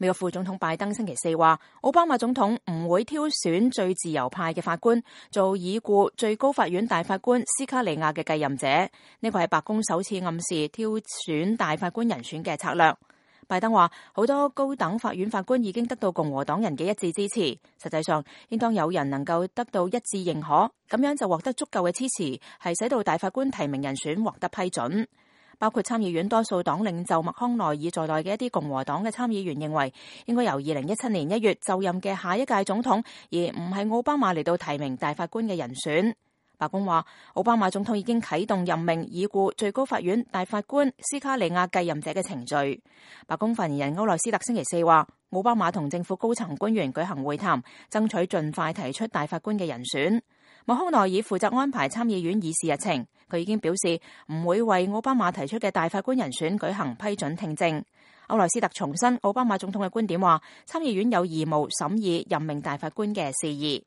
美國副總統拜登星期四話，奧巴馬總統唔會挑選最自由派嘅法官做已故最高法院大法官斯卡利亞嘅繼任者，呢個係白宮首次暗示挑選大法官人選嘅策略。拜登話，好多高等法院法官已經得到共和黨人嘅一致支持，實際上應當有人能夠得到一致認可，咁樣就獲得足夠嘅支持，係使到大法官提名人選獲得批准。包括參議院多數黨領袖麥康奈爾在內嘅一啲共和黨嘅參議員認為，應該由2017年1月就任嘅下一屆總統，而唔係奧巴馬嚟到提名大法官嘅人選。白宮話，奧巴馬總統已經啟動任命已故最高法院大法官斯卡利亞繼任者嘅程序。白宮發言人歐萊斯特星期四話，奧巴馬同政府高層官員舉行會談，爭取盡快提出大法官嘅人選。麥康奈爾負責安排參議院議事日程，佢已經表示唔會為奧巴馬提出嘅大法官人選舉行批准聽證。歐萊斯特重申奧巴馬總統嘅觀點話，參議院有義務審議任命大法官嘅事宜。